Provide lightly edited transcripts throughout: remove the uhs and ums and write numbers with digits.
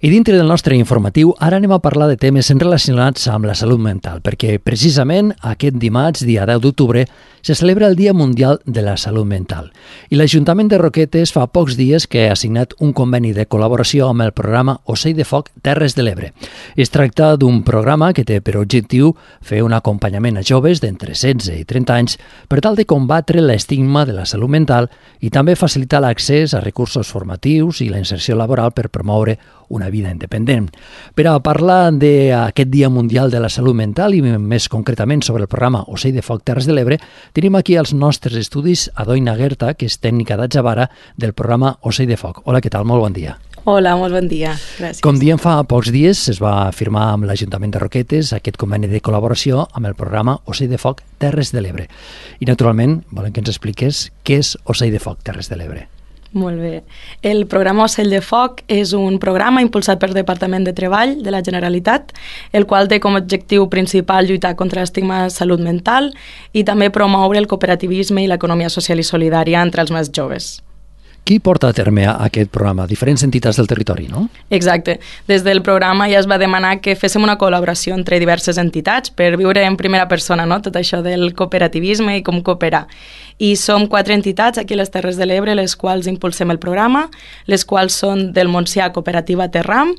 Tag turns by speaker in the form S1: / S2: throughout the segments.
S1: I dintre del nostre informatiu, ara anem a parlar de temes relacionats amb la salut mental, perquè precisament aquest dimarts, dia 10 d'octubre, se celebra el Dia Mundial de la Salut Mental. I l'Ajuntament de Roquetes fa pocs dies que ha signat un conveni de col·laboració amb el programa Ocell de Foc Terres de l'Ebre. Es tracta d'un programa que té per objectiu fer un acompanyament a joves d'entre 16 i 30 anys per tal de combatre l'estigma de la salut mental i també facilitar l'accés a recursos formatius i la inserció laboral per promoure una vida independent. Per a parlar d'aquest Dia Mundial de la Salut Mental i més concretament sobre el programa Ocell de Foc Terres de l'Ebre, tenim aquí als nostres estudis a Doina Guerta, que és tècnica d'Atjabara del programa Ocell de Foc. Hola, què tal? Molt bon dia.
S2: Hola, molt bon dia. Gràcies.
S1: Com diem, fa pocs dies es va firmar amb l'Ajuntament de Roquetes aquest conveni de col·laboració amb el programa Ocell de Foc Terres de l'Ebre. I, naturalment, volem que ens expliques què és Ocell de Foc Terres de l'Ebre.
S2: Molt bé. El programa Ocell de Foc és un programa impulsat pel Departament de Treball de la Generalitat, el qual té com a objectiu principal lluitar contra l'estigma de salut mental i també promoure el cooperativisme i l'economia social i solidària entre els més joves.
S1: Qui porta a terme aquest programa? Diferents entitats del territori, no?
S2: Exacte. Des del programa ja es va demanar que féssim una col·laboració entre diverses entitats per viure en primera persona, no? Tot això del cooperativisme i com cooperar. I som 4 entitats aquí a les Terres de l'Ebre, les quals impulsem el programa, les quals són del Montsià Cooperativa Terram,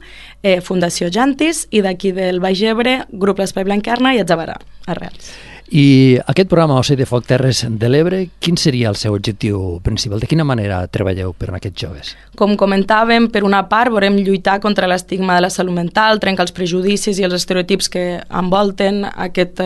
S2: Fundació Jantis, i d'aquí del Baix Ebre, Grup L'Espai Blanquerna i Atjabara, Arrels.
S1: I aquest programa Ocell de Foc Terres de l'Ebre, quin seria el seu objectiu principal? De quina manera treballeu per a aquests joves?
S2: Com comentàvem, per una part volem lluitar contra l'estigma de la salut mental, trencar els prejudicis i els estereotips que envolten aquest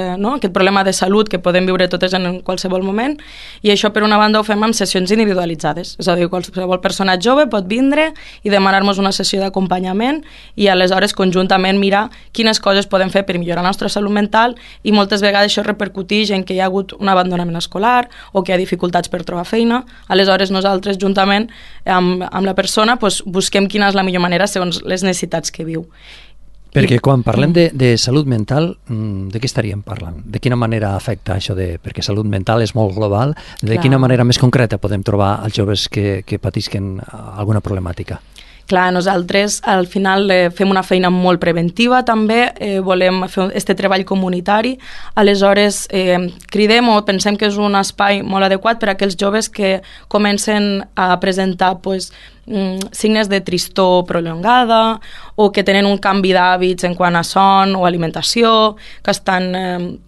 S2: problema de salut que podem viure totes en qualsevol moment, i això per una banda ho fem amb sessions individualitzades, és a dir, qualsevol persona jove pot vindre i demanar-nos una sessió d'acompanyament i aleshores conjuntament mirar quines coses podem fer per millorar la nostra salut mental, i moltes vegades això repercuteix en que hi ha hagut un abandonament escolar o que hi ha dificultats per trobar feina. Aleshores nosaltres juntament amb la persona busquem quina és la millor manera segons les necessitats que viu.
S1: Perquè quan parlem de salut mental, de què estaríem parlant? De quina manera afecta això perquè salut mental és molt global, de quina manera més concreta podem trobar els joves que patisquen alguna problemàtica?
S2: Clar, nosaltres al final fem una feina molt preventiva també, volem fer aquest treball comunitari, aleshores cridem o pensem que és un espai molt adequat per a aquells joves que comencen a presentar signes de tristor prolongada o que tenen un canvi d'hàbits en quant a son o alimentació, que estan...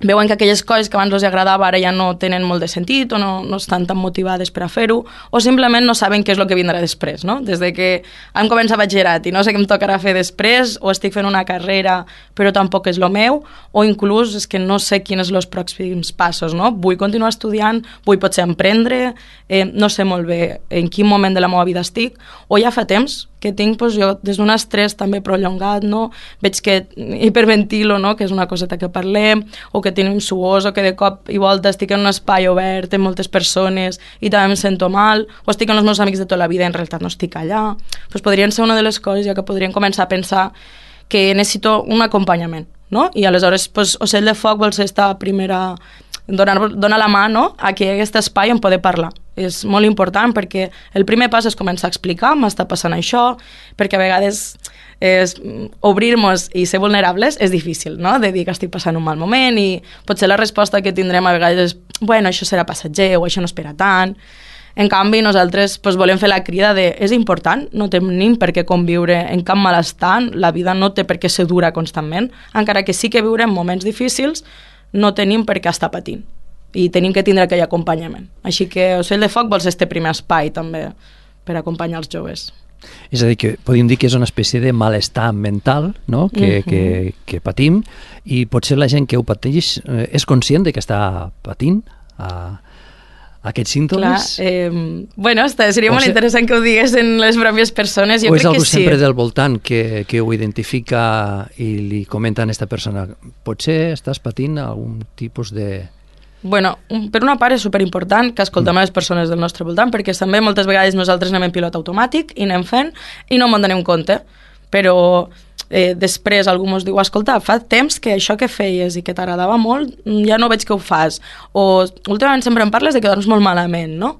S2: veuen que aquelles coses que abans els agradava ara ja no tenen molt de sentit o no estan tan motivades per a fer-ho, o simplement no saben què és el que vindrà després, no? Des de que hem començat batxillerat i no sé què em tocarà fer després, o estic fent una carrera però tampoc és el meu, o inclús és que no sé quins són els pròxims passos, no? Vull continuar estudiant, vull potser emprendre, no sé molt bé en quin moment de la meva vida estic, o ja fa temps que tinc jo des d'un estrès també prolongat, no? Veig que hiperventilo, no? Que és una coseta que parlem, o que tenim suors, o que de cop i volta estic en un espai obert amb moltes persones i també em sento mal, o estic amb els meus amics de tota la vida i en realitat no estic allà. Podrien ser una de les coses ja que podrien començar a pensar que necessito un acompanyament, no? I aleshores Ocell de Foc vol ser esta primera... donar la mà, no?, a que aquest espai en poder parlar. És molt important perquè el primer pas és començar a explicar m'està passant això, perquè a vegades obrir-nos i ser vulnerables és difícil, no?, de dir que estic passant un mal moment, i potser la resposta que tindrem a vegades és bueno, això serà passatger o això no espera tant. En canvi, nosaltres volem fer la crida de és important, no tenim per què conviure en cap malestar, la vida no té per què ser dura constantment, encara que sí que viurem moments difícils, no tenim per què estar patint i tenim que tindre aquell acompanyament. Així que Ocell de Foc vol ser este primer espai també per acompanyar els joves.
S1: És a dir, que podríem dir que és una espècie de malestar mental, no?, que patim, i potser la gent que ho pateix és conscient de que està patint aquests símptomes?
S2: Clar, seria molt interessant que ho diguessin les pròpies persones. Jo crec que sí.
S1: O és algú sempre del voltant que ho identifica i li comenta a aquesta persona potser estàs patint algun tipus de...
S2: Bueno, per una part és superimportant que escoltem a les persones del nostre voltant, perquè també moltes vegades nosaltres anem en pilot automàtic i anem fent i no ens donem compte, però després algú ens diu, escolta, fa temps que això que feies i que t'agradava molt ja no veig que ho fas, o últimament sempre em parles de que dorms molt malament, no?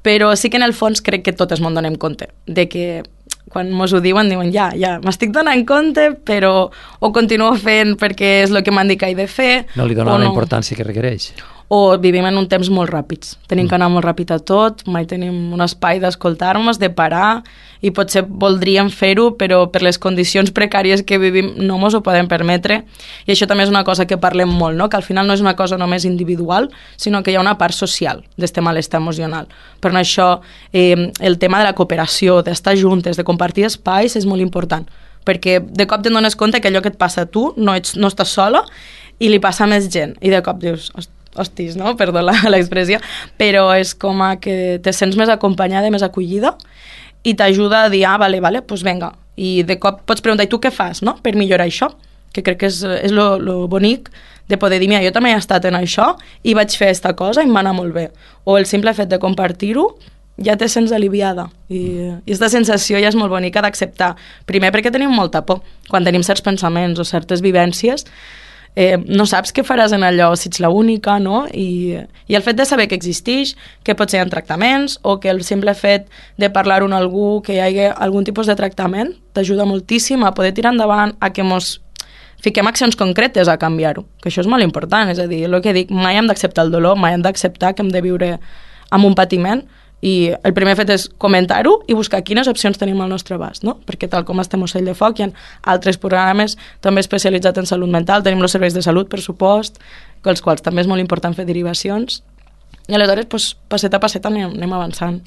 S2: Però sí que en el fons crec que totes ens donem compte de que quan mos ho diuen ja, m'estic donant compte, però ho continuo fent perquè és el que m'han dit que he de fer.
S1: No li dona la importància que requereix.
S2: O vivim en un temps molt ràpids. Tenim que anar molt ràpid a tot, mai tenim un espai d'escoltar-nos, de parar, i potser voldríem fer-ho, però per les condicions precàries que vivim no mos ho podem permetre. I això també és una cosa que parlem molt, no? Que al final no és una cosa només individual, sinó que hi ha una part social d'este malestar emocional. Per això el tema de la cooperació, d'estar juntes, de compartir espais, és molt important, perquè de cop te'n dones compte que allò que et passa a tu no estàs sola i li passa a més gent. I de cop dius, hostis, no? Perdó l'expressió, però és com que te sents més acompanyada, més acollida, i t'ajuda a dir, vale, doncs vinga. I de cop pots preguntar, i tu què fas, no?, per millorar això? Que crec que és lo bonic de poder dir, mira, jo també he estat en això i vaig fer aquesta cosa i em va anar molt bé. O el simple fet de compartir-ho, ja te sents aliviada. I aquesta sensació ja és molt bonica d'acceptar. Primer perquè tenim molta por. Quan tenim certs pensaments o certes vivències, no saps què faràs en allò, si ets l'única, no? I el fet de saber que existeix, que potser hi ha tractaments, o que el simple fet de parlar-ho amb algú, que hi hagi algun tipus de tractament, t'ajuda moltíssim a poder tirar endavant, a que mos fiquem accions concretes a canviar-ho, que això és molt important, és a dir, el que dic, mai hem d'acceptar el dolor, mai hem d'acceptar que hem de viure amb un patiment, i el primer fet és comentar-ho i buscar quines opcions tenim al nostre abast, no? Perquè tal com estem Ocell de Foc, hi ha altres programes també especialitzats en salut mental, tenim els serveis de salut, per supost, els quals també és molt important fer derivacions, i aleshores, passet a passet anem avançant.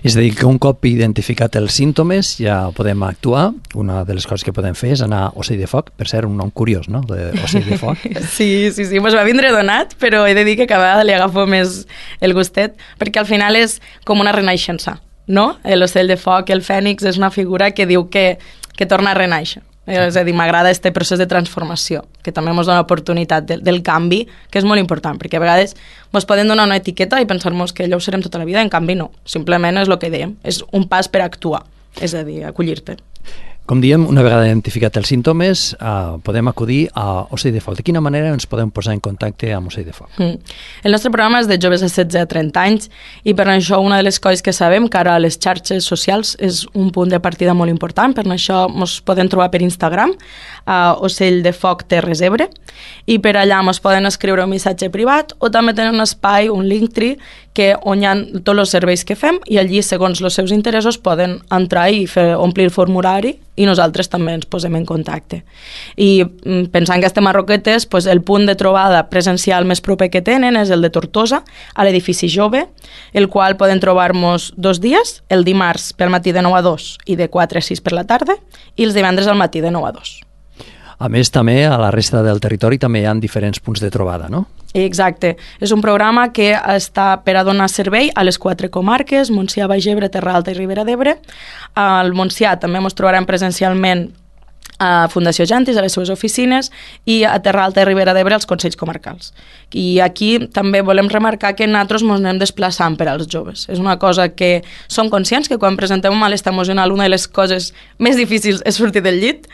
S1: És a dir, que un cop identificat els símptomes ja podem actuar. Una de les coses que podem fer és anar a Ocell de Foc, per ser un nom curiós, no?, d'Ocell de Foc.
S2: Sí, mos va vindre donat, però he de dir que cada vegada li agafo més el gustet, perquè al final és com una renaixença, no? L'Ocell de Foc, el Fènix, és una figura que diu que torna a renaixer. És a dir, m'agrada aquest procés de transformació, que també ens dona l'oportunitat del canvi, que és molt important, perquè a vegades ens poden donar una etiqueta i pensar-nos que allò ho serem tota la vida, en canvi no. Simplement és el que dèiem, és un pas per actuar, és a dir, acollir-te.
S1: Com diem, una vegada identificat els símptomes, podem acudir a Ocell de Foc. De quina manera ens podem posar en contacte amb Ocell de Foc?
S2: El nostre programa és de joves de 16 a 30 anys i per això una de les coses que sabem que ara a les xarxes socials és un punt de partida molt important. Per això ens podem trobar per Instagram, a Ocell de Foc Terres Ebre, i per allà ens poden escriure un missatge privat o també tenen un espai, un Linktree, on hi ha tots els serveis que fem i allí, segons els seus interessos, poden entrar i omplir el formulari i nosaltres també ens posem en contacte. I pensant que estem a Roquetes, el punt de trobada presencial més proper que tenen és el de Tortosa, a l'edifici Jove, el qual poden trobar-nos 2 dies, el dimarts pel matí de 9 a 2 i de 4 a 6 per la tarda, i els divendres al matí de 9 a 2.
S1: A més, també a la resta del territori també hi ha diferents punts de trobada, no?
S2: Exacte. És un programa que està per a donar servei a les 4 comarques, Montsià, Baix Ebre, Terra Alta i Ribera d'Ebre. Al Montsià també ens trobarem presencialment a Fundació Jantis, a les seves oficines, i a Terra Alta i Ribera d'Ebre als Consells Comarcals. I aquí també volem remarcar que nosaltres ens anem desplaçant per als joves. És una cosa que som conscients que quan presentem un malestar emocional una de les coses més difícils és sortir del llit,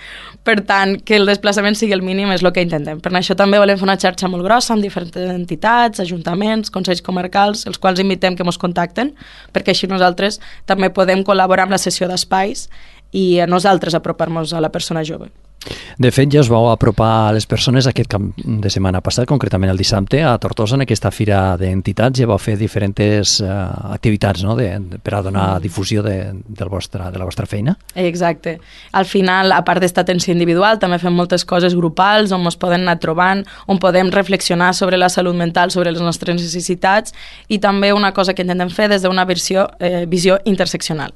S2: per tant, que el desplaçament sigui el mínim és el que intentem. Per això també volem fer una xarxa molt grossa amb diferents entitats, ajuntaments, consells comarcals, els quals invitem que ens contacten, perquè així nosaltres també podem col·laborar amb la sessió d'espais i a nosaltres apropar-nos a la persona jove.
S1: De fet, ja us vau apropar a les persones aquest cap de setmana passat, concretament el dissabte, a Tortosa, en aquesta fira d'entitats, ja vau fer diferents activitats, no?, per a donar difusió de la vostra feina.
S2: Exacte. Al final, a part d'esta atenció individual, també fem moltes coses grupals on ens poden anar trobant, on podem reflexionar sobre la salut mental, sobre les nostres necessitats, i també una cosa que intentem fer des d'una visió interseccional.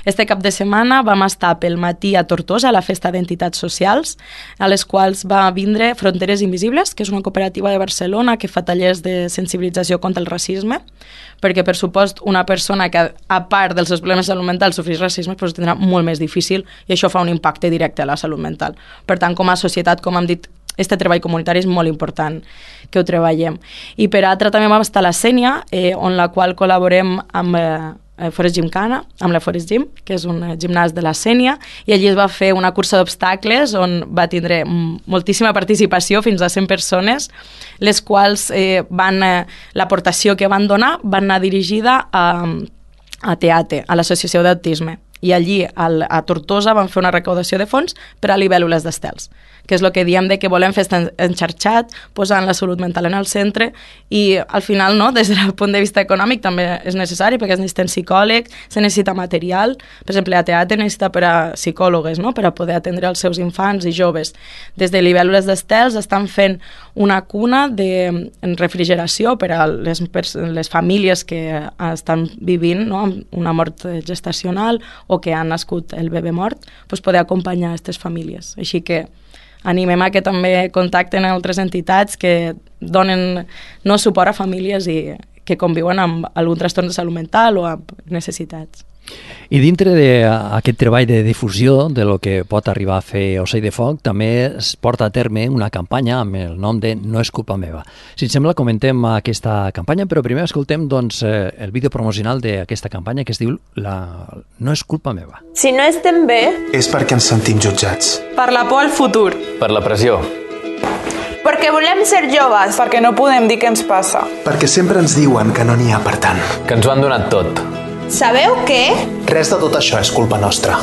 S2: Este cap de setmana vam estar pel matí a Tortosa, a la festa d'entitats socials, a les quals va vindre Fronteres Invisibles, que és una cooperativa de Barcelona que fa tallers de sensibilització contra el racisme, perquè, per supost, una persona que, a part dels seus problemes de salut mental, sofreix racisme, doncs tindrà molt més difícil i això fa un impacte directe a la salut mental. Per tant, com a societat, com hem dit, este treball comunitari és molt important que ho treballem. I per altra també vam estar a la Sénia, on la qual col·laborem amb Forest Gymkhana, amb la Forest Gym, que és un gimnàs de la Sénia, i allí es va fer una cursa d'obstacles on va tindre moltíssima participació, fins a 100 persones, les quals l'aportació que van donar van anar dirigida a TEATE, a l'Associació d'Autisme. I allí, a Tortosa, vam fer una recaudació de fons per a libèl·lules d'estels, que és el que diem de que volem fer enxarxat, posant la salut mental en el centre, i al final, no, des del punt de vista econòmic també és necessari, perquè es necessiten psicòlegs, se necessita material, per exemple, a teatre necessita per a psicòlogues, no?, per a poder atendre els seus infants i joves. Des de libèl·lules d'estels estan fent una cuna de refrigeració per a les famílies que estan vivint, no?, amb una mort gestacional o que han nascut el bebè mort, doncs poder acompanyar aquestes famílies. Així que animem a que també contacten altres entitats que donen suport a famílies i que conviuen amb algun trastorn de salut mental o amb necessitats.
S1: I dintre d'aquest treball de difusió de lo que pot arribar a fer Ocell de Foc, també es porta a terme una campanya amb el nom de No és culpa meva. Si et sembla, comentem aquesta campanya, però primer escoltem el vídeo promocional d'aquesta campanya que es diu No és culpa meva.
S3: Si no estem bé...
S4: és perquè ens sentim jutjats.
S3: Per la por al futur.
S5: Per la pressió.
S3: Perquè volem ser joves.
S6: Perquè no podem dir què ens passa.
S4: Perquè sempre ens diuen que no n'hi ha per tant.
S5: Que ens ho han donat tot.
S3: Sabeu què?
S4: Res de tot això és culpa nostra.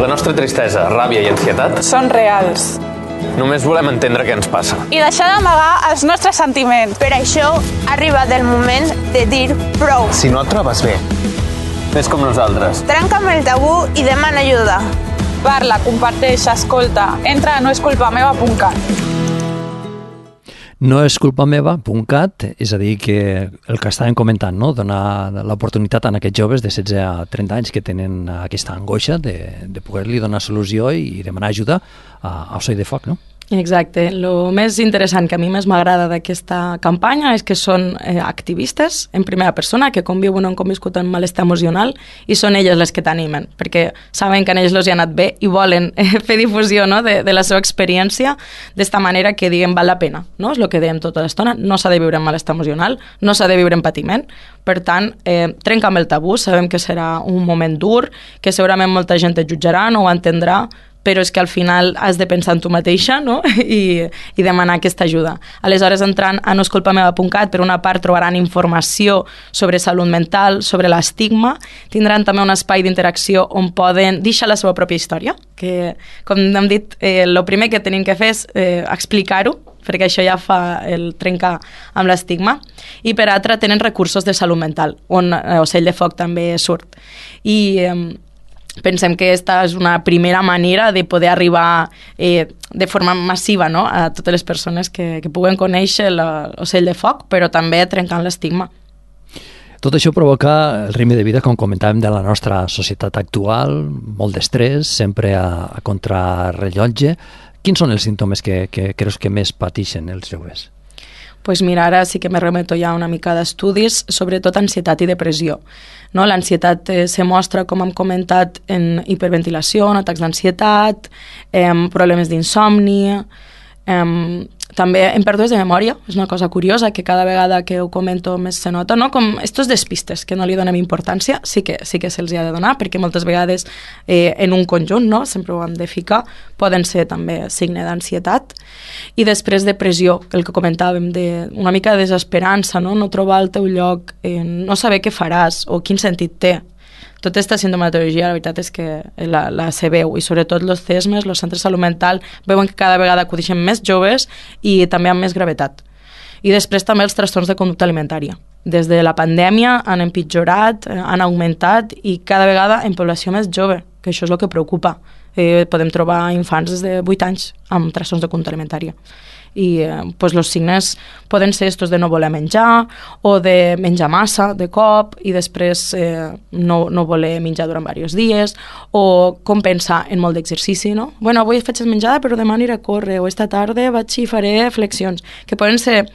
S5: La nostra tristesa, ràbia i ansietat
S6: són reals.
S5: Només volem entendre què ens passa.
S6: I deixar d'amagar els nostres sentiments.
S3: Per això ha arribat el moment de dir prou.
S4: Si no et trobes bé,
S5: Fes com nosaltres.
S3: Trenca amb el tabú i demana ajuda.
S6: Parla, comparteix, escolta. Entra a noesculpameva.cat.
S1: Noesculpameva.cat, és a dir, que el que estàvem comentant, no?, donar l'oportunitat a aquests joves de 16 a 30 anys que tenen aquesta angoixa de poder-li donar solució i demanar ajuda a Ocell de Foc, no?
S2: Exacte. El més interessant que a mi més m'agrada d'aquesta campanya és que són activistes en primera persona que conviuen o han conviscut en malestar emocional i són elles les que t'animen, perquè saben que a ells els hi ha anat bé i volen fer difusió, no?, de la seva experiència d'esta manera que diguem val la pena, no? És el que dèiem tota l'estona, no s'ha de viure en malestar emocional, no s'ha de viure en patiment, per tant, trenca amb el tabú, sabem que serà un moment dur, que segurament molta gent et jutjarà, no ho entendrà, però és que al final has de pensar en tu mateixa, no?, i demanar aquesta ajuda. Aleshores, entrant a noesculpameva.cat, per una part trobaran informació sobre salut mental, sobre l'estigma, tindran també un espai d'interacció on poden deixar la seva pròpia història, que, com hem dit, el primer que tenim que fer és explicar-ho, perquè això ja fa el trencar amb l'estigma, i per altra tenen recursos de salut mental, on Ocell de Foc també surt. I pensem que aquesta és una primera manera de poder arribar de forma massiva, no?, a totes les persones que puguen conèixer l'Ocell de Foc, però també trencant l'estigma.
S1: Tot això provoca el ritme de vida, com comentàvem, de la nostra societat actual, molt d'estrès, sempre a contrarrellotge. Quins són els símptomes que creus que més pateixen els joves?
S2: Pues mira, ara sí que me remeto ja una mica d'estudis, sobretot ansietat i depressió. No? L'ansietat se mostra, com hem comentat, en hiperventilació, en atacs d'ansietat, problemes d'insomni, també en pèrdues de memòria. És una cosa curiosa que cada vegada que ho comento més se nota, no? Com estos despistes que no li donem importància, sí que se'ls ha de donar, perquè moltes vegades en un conjunt, no?, sempre ho hem de ficar, poden ser també signe d'ansietat. I després depressió, el que comentàvem, una mica de desesperança, no trobar el teu lloc, no saber què faràs o quin sentit té. Tota aquesta sintomatologia, la veritat és que la se veu, i sobretot els CESMES, els centres de salut mental, veuen que cada vegada acudeixen més joves i també amb més gravetat. I després també els trastorns de conducta alimentària. Des de la pandèmia han empitjorat, han augmentat, i cada vegada en població més jove, que això és el que preocupa. Podem trobar infants des de 8 anys amb trastorns de conducta alimentària. I els signes poden ser estos de no voler menjar o de menjar massa de cop i després no voler menjar durant diversos dies, o com pensar en molt d'exercici, no? Bueno, avui faig menjada però demà aniré a córrer, o esta tarda vaig i faré flexions, que poden ser...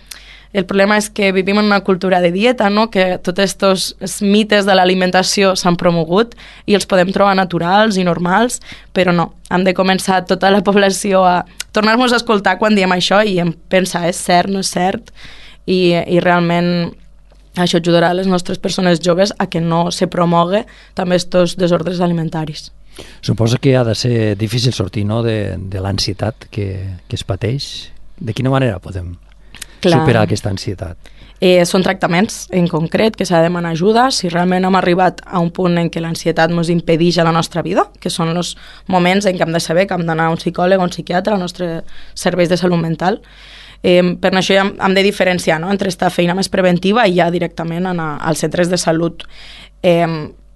S2: El problema és que vivim en una cultura de dieta, no?, que tots aquests mites de l'alimentació s'han promogut i els podem trobar naturals i normals, però no. Hem de començar tota la població a tornar-nos a escoltar quan diem això i pensar, és cert, no és cert, i realment això ajudarà a les nostres persones joves a que no se promogui també aquests desordres alimentaris.
S1: Suposo que ha de ser difícil sortir, no?, de l'ansietat que es pateix. De quina manera podem superar aquesta ansietat?
S2: Són tractaments en concret que s'ha de demanar ajuda si realment hem arribat a un punt en què l'ansietat ens impedeix a la nostra vida, que són els moments en què hem de saber que hem d'anar a un psicòleg o un psiquiatre als nostres serveis de salut mental. Per això ja hem de diferenciar, no?, entre aquesta feina més preventiva i ja directament anar als centres de salut.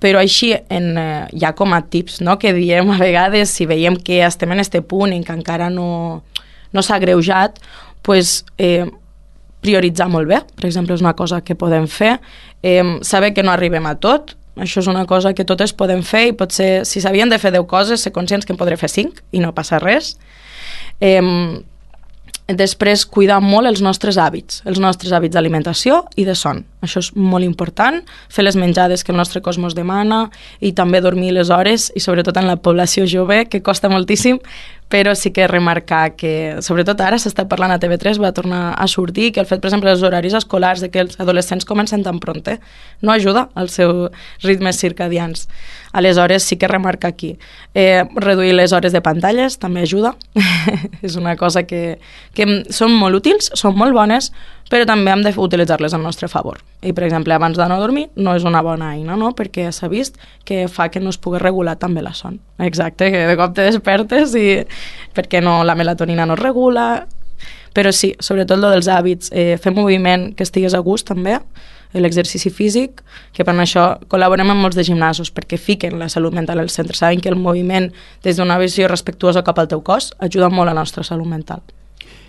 S2: Però així, ja com a tips, no?, que diem a vegades, si veiem que estem en aquest punt en què encara no s'ha agreujat, pues, prioritzar molt bé, per exemple, és una cosa que podem fer. Saber que no arribem a tot, això és una cosa que totes podem fer i potser, si s'havien de fer 10 coses, ser conscients que en podré fer 5 i no passa res. Després, cuidar molt els nostres hàbits d'alimentació i de son. Això és molt important, fer les menjades que el nostre cos ens demana i també dormir les hores, i sobretot en la població jove, que costa moltíssim, però sí que remarcar que, sobretot ara s'està parlant a TV3, va tornar a sortir, que el fet, per exemple, dels horaris escolars, de que els adolescents comencen tan pronte, no ajuda als seus ritmes circadians. Aleshores, sí que remarca aquí. Reduir les hores de pantalles també ajuda. És una cosa que són molt útils, són molt bones, però també hem d'utilitzar-les al nostre favor. I, per exemple, abans d'anar a dormir no és una bona eina, no?, perquè s'ha vist que fa que no es pugui regular també la son. Exacte, que de cop te despertes i perquè la melatonina no es regula. Però sí, sobretot el dels hàbits, fer moviment que estigués a gust també, l'exercici físic, que per això col·laborem amb molts de gimnasos, perquè fiquen la salut mental al centre. Saben que el moviment, des d'una visió respectuosa cap al teu cos, ajuda molt a la nostra salut mental.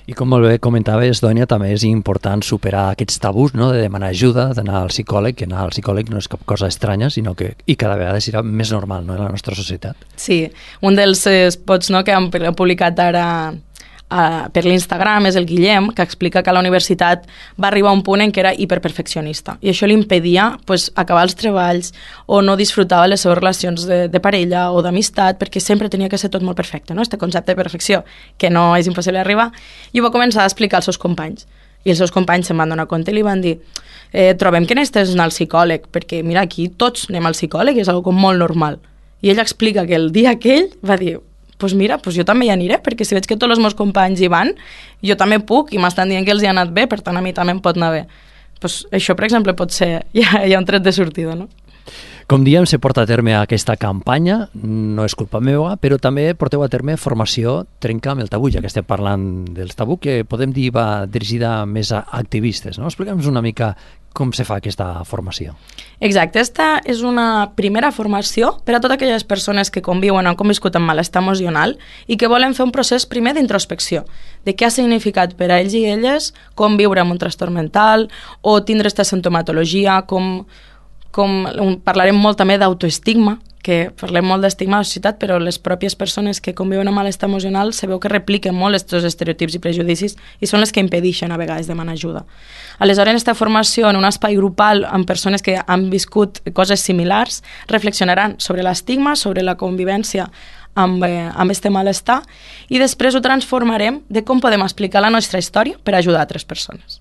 S1: I com molt bé comentaves, Dònia, també és important superar aquests tabús, no?, de demanar ajuda, d'anar al psicòleg, que anar al psicòleg no és cap cosa estranya, sinó que i cada vegada serà més normal, no?, en la nostra societat.
S2: Sí, un dels spots, no?, que hem publicat ara per l'Instagram és el Guillem, que explica que a la universitat va arribar a un punt en què era hiperperfeccionista i això li impedia acabar els treballs o no disfrutava les seves relacions de parella o d'amistat perquè sempre tenia que ser tot molt perfecte, no? Este concepte de perfecció, que no és impossible arribar, i ho va començar a explicar als seus companys. I els seus companys se'n van donar compte i li van dir trobem que necessites anar al psicòleg, perquè mira, aquí tots anem al psicòleg i és algo com molt normal. I ell explica que el dia aquell va dir pues mira, pues jo també hi aniré, perquè si veig que tots els meus companys hi van, jo també puc, i m'estan dient que els hi ha anat bé, per tant a mi també em pot anar bé. Pues això, per exemple, pot ser ja un tret de sortida, no?
S1: Com diem, se porta a terme aquesta campanya, no és culpa meva, però també porteu a terme formació Trenca amb el tabú, ja que estem parlant dels tabú, que podem dir va dirigida més a activistes, no? Explica'ns una mica com se fa aquesta formació.
S2: Exacte, esta és una primera formació per a totes aquelles persones que conviuen o han conviscut amb malestar emocional i que volen fer un procés primer d'introspecció, de què ha significat per a ells i elles conviure amb un trastorn mental o tindre aquesta sintomatologia, parlarem molt també d'autoestigma, que parlem molt d'estigma a la societat, però les pròpies persones que conviuen amb malestar emocional se veu que repliquen molt aquests estereotips i prejudicis i són les que impedeixen a vegades demanar ajuda. Aleshores, aquesta formació en un espai grupal amb persones que han viscut coses similars reflexionaran sobre l'estigma, sobre la convivència amb este malestar i després ho transformarem de com podem explicar la nostra història per ajudar altres persones.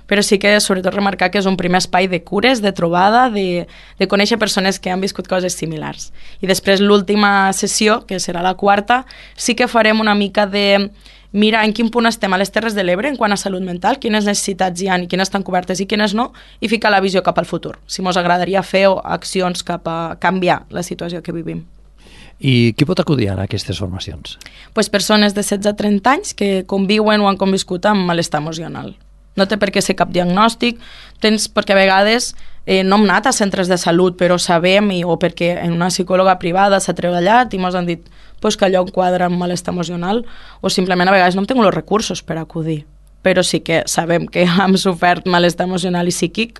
S2: Però sí que sobretot remarcar que és un primer espai de cures, de trobada, de conèixer persones que han viscut coses similars. I després l'última sessió, que serà la quarta, sí que farem una mica de mirar en quin punt estem a les Terres de l'Ebre en quant a salut mental, quines necessitats hi ha i quines estan cobertes i quines no, i ficar la visió cap al futur. Si ens agradaria fer accions cap a canviar la situació que vivim.
S1: I qui pot acudir a aquestes formacions?
S2: Pues persones de 16 a 30 anys que conviuen o han conviscut amb malestar emocional. No té per què ser cap diagnòstic, perquè a vegades no hem anat a centres de salut, però sabem, o perquè en una psicòloga privada s'ha treballat i ens han dit que allò enquadra amb malestar emocional, o simplement a vegades no hem tingut els recursos per acudir. Però sí que sabem que hem sofert malestar emocional i psíquic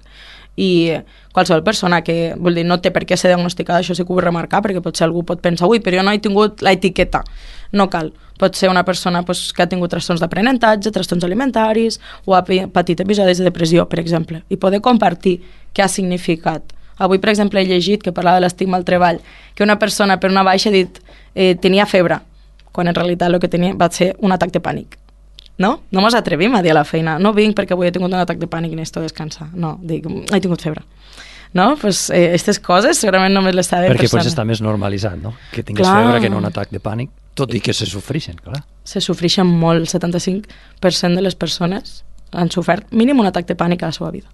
S2: i qualsevol persona que, vull dir, no té per què ser diagnosticada, això sí que ho vull remarcar, perquè potser algú pot pensar, ui, però jo no he tingut l'etiqueta. No cal. Pot ser una persona que ha tingut trastorns d'aprenentatge, trastorns alimentaris o ha patit episodis de depressió, per exemple, i poder compartir què ha significat. Avui, per exemple, he llegit, que parlava de l'estigma al treball, que una persona per una baixa ha dit tenia febre, quan en realitat el que tenia va ser un atac de pànic. No? No ens atrevim a dir a la feina, no vinc perquè avui he tingut un atac de pànic i necessito descansar. No, dic, he tingut febre. No? Pues aquestes coses segurament només les saben
S1: perquè
S2: persones.
S1: Perquè està més normalitzat, no? Que tinguis febre que no un atac de pànic, tot i que se sofreixen, clar.
S2: Se sofreixen molt, el 75% de les persones han sofert mínim un atac de pànic a la seva vida.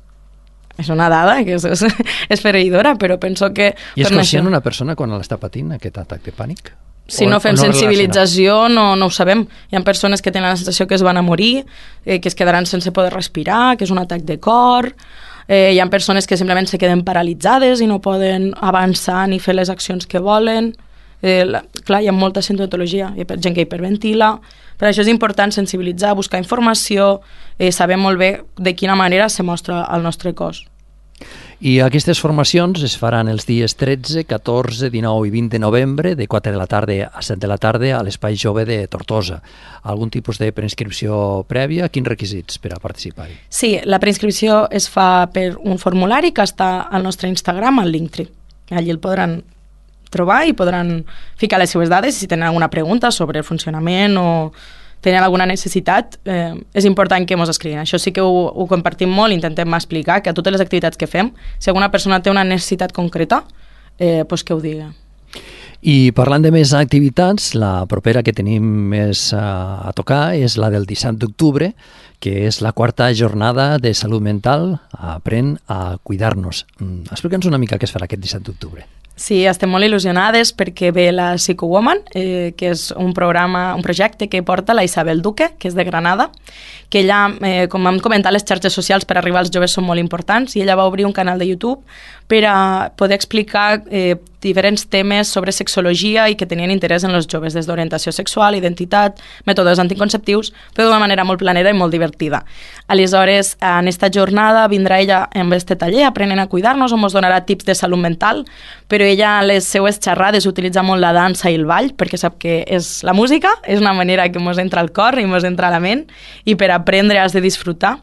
S2: És una dada que és fereïdora, però penso que...
S1: I és conscient una persona quan l'està patint, aquest atac de pànic?
S2: Si no fem sensibilització no ho sabem. Hi ha persones que tenen la sensació que es van a morir, que es quedaran sense poder respirar, que és un atac de cor. Hi ha persones que simplement se queden paralitzades i no poden avançar ni fer les accions que volen. Clar, hi ha molta sintomatologia, hi ha gent que hiperventila. Per això és important sensibilitzar, buscar informació, saber molt bé de quina manera se mostra el nostre cos.
S1: I aquestes formacions es faran els dies 13, 14, 19 i 20 de novembre, de 4 de la tarda a 7 de la tarda, a l'Espai Jove de Tortosa. Algun tipus de preinscripció prèvia? Quins requisits per a participar-hi?
S2: Sí, la preinscripció es fa per un formulari que està al nostre Instagram, al Linktree. Allí el podran trobar i podran ficar les seves dades si tenen alguna pregunta sobre el funcionament o tenen alguna necessitat, és important que ens escriguin. Això sí que ho compartim molt, intentem explicar que a totes les activitats que fem, si alguna persona té una necessitat concreta, doncs que ho digui.
S1: I parlant de més activitats, la propera que tenim més a tocar és la del 17 d'octubre, que és la 4a jornada de salut mental, Aprèn a cuidar-nos. Explica'ns una mica què es farà aquest 17 d'octubre.
S2: Sí, estem molt il·lusionades perquè ve la Psychowoman, que és un projecte que porta la Isabel Duque, que és de Granada, que ella, com hem comentat, les xarxes socials per arribar als joves són molt importants, i ella va obrir un canal de YouTube per a poder explicar diferents temes sobre sexologia i que tenien interès en els joves, des d'orientació sexual, identitat, mètodes anticonceptius, però d'una manera molt planera i molt divertida. Aleshores, en esta jornada vindrà ella amb este taller, Aprenen a cuidar-nos, on ens donarà tips de salut mental, però ella a les seues xerrades utilitza molt la dansa i el ball, perquè sap que és la música, és una manera que ens entra al cor i ens entra a la ment, i per aprendre has de disfrutar.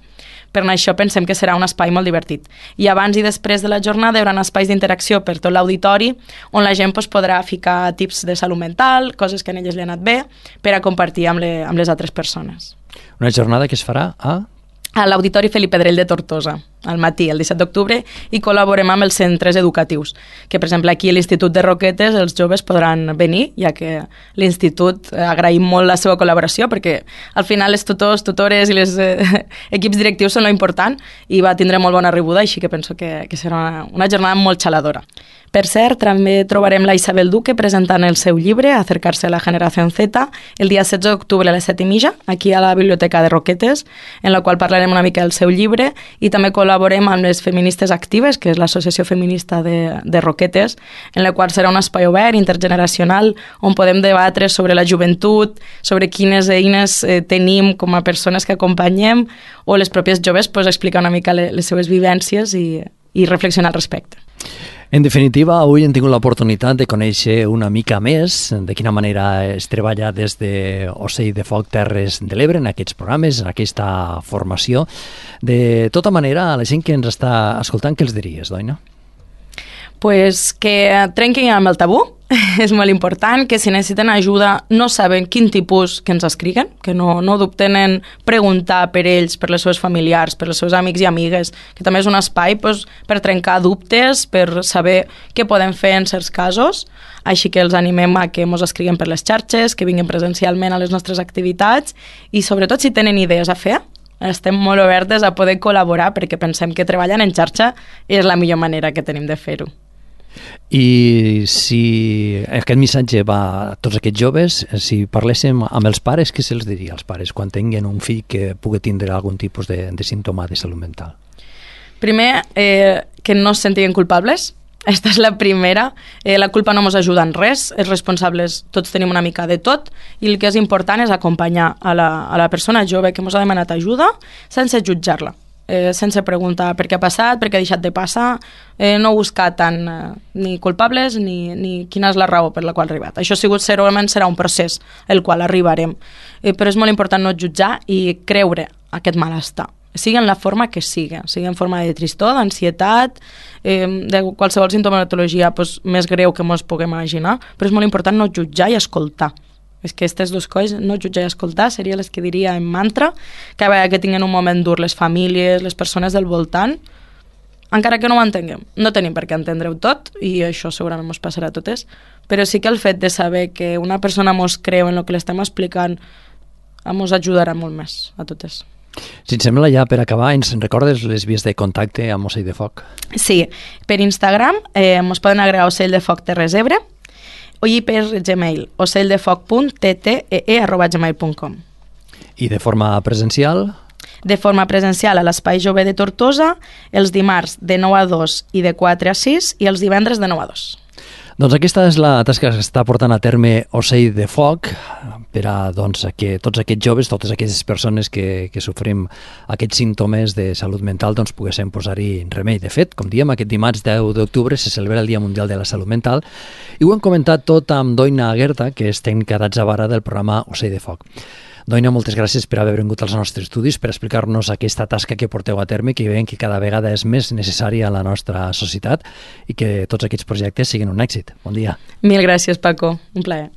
S2: Per això pensem que serà un espai molt divertit. I abans i després de la jornada hi haurà espais d'interacció per tot l'auditori on la gent podrà ficar tips de salut mental, coses que a elles li han anat bé, per a compartir amb les altres persones.
S1: Una jornada que es farà
S2: a l'Auditori Felip Pedrell de Tortosa, al matí, el 17 d'octubre, i col·laborem amb els centres educatius, que per exemple aquí a l'Institut de Roquetes els joves podran venir, ja que l'Institut agraïm molt la seva col·laboració, perquè al final els tutors, tutores i els equips directius són lo important, i va tindre molt bona rebuda, així que penso que serà una jornada molt xaladora. Per cert, també trobarem la Isabel Duque presentant el seu llibre, Acercarse a la generación Z, el dia 16 d'octubre a les 7:30, aquí a la Biblioteca de Roquetes, en la qual parlarem una mica del seu llibre, i també col·laborem amb les Feministes Actives, que és l'associació feminista de Roquetes, en la qual serà un espai obert, intergeneracional, on podem debatre sobre la joventut, sobre quines eines tenim com a persones que acompanyem, o les pròpies joves explicar una mica les seves vivències i reflexionar al respecte.
S1: En definitiva, avui hem tingut l'oportunitat de conèixer una mica més de quina manera es treballa des de Ocell de Foc Terres de l'Ebre en aquests programes, en aquesta formació. De tota manera, a la gent que ens està escoltant, què els diries, Doina?
S2: Pues que trenquin amb el tabú, és molt important, que si necessiten ajuda no saben quin tipus que ens escriguen, que no dubten en preguntar per ells, per les seus familiars, per els seus amics i amigues, que també és un espai per trencar dubtes, per saber què podem fer en certs casos, així que els animem a que ens escriguin per les xarxes, que vinguin presencialment a les nostres activitats i sobretot si tenen idees a fer, estem molt obertes a poder col·laborar perquè pensem que treballant en xarxa és la millor manera que tenim de fer-ho.
S1: I si aquest missatge va a tots aquests joves, si parléssim amb els pares, què se'ls diria als pares quan tinguin un fill que pugui tindre algun tipus de símptoma de salut mental?
S2: Primer, que no es sentin culpables. Esta és la primera. La culpa no ens ajuda en res. Els responsables tots tenim una mica de tot i el que és important és acompanyar a la persona jove que ens ha demanat ajuda sense jutjar-la. Sense preguntar per què ha passat, per què ha deixat de passar, no buscar tant ni culpables ni quina és la raó per la qual ha arribat. Això segurament serà un procés el qual arribarem, però és molt important no jutjar i creure aquest malestar, sigui en la forma que sigui en forma de tristor, d'ansietat, de qualsevol sintomatologia més greu que ens puguem imaginar, però és molt important no jutjar i escoltar. És que aquestes dues coses, no jutjar i escoltar, seria les que diria en mantra, cada vegada que tinguin un moment dur les famílies, les persones del voltant, encara que no ho entenguem. No tenim per què entendre-ho tot, i això segurament ens passarà a totes, però sí que el fet de saber que una persona ens creu en el que l'estem explicant ens ajudarà molt més a totes.
S1: Si et sembla, ja per acabar, ens recordes les vies de contacte amb Ocell de Foc?
S2: Sí, per Instagram ens poden agregar Ocell de Foc Terres Ebre i per Gmail, ocelldefocttee@gmail.com.
S1: I de forma presencial?
S2: De forma presencial a l'Espai Jove de Tortosa, els dimarts de 9 a 2 i de 4 a 6 i els divendres de 9 a 2.
S1: Doncs aquesta és la tasca que està portant a terme Ocell de Foc per a que tots aquests joves, totes aquestes persones que sofrim aquests símptomes de salut mental, doncs poguéssim posar-hi remei. De fet, com diem, aquest dimarts 10 d'octubre se celebra el Dia Mundial de la Salut Mental i ho hem comentat tot amb Doina Aguerta, que és tècnica d'atzavara del programa Ocell de Foc. Doina, moltes gràcies per haver vingut als nostres estudis, per explicar-nos aquesta tasca que porteu a terme, que veiem que cada vegada és més necessària a la nostra societat i que tots aquests projectes siguin un èxit. Bon dia.
S2: Mil gràcies, Paco. Un plaer.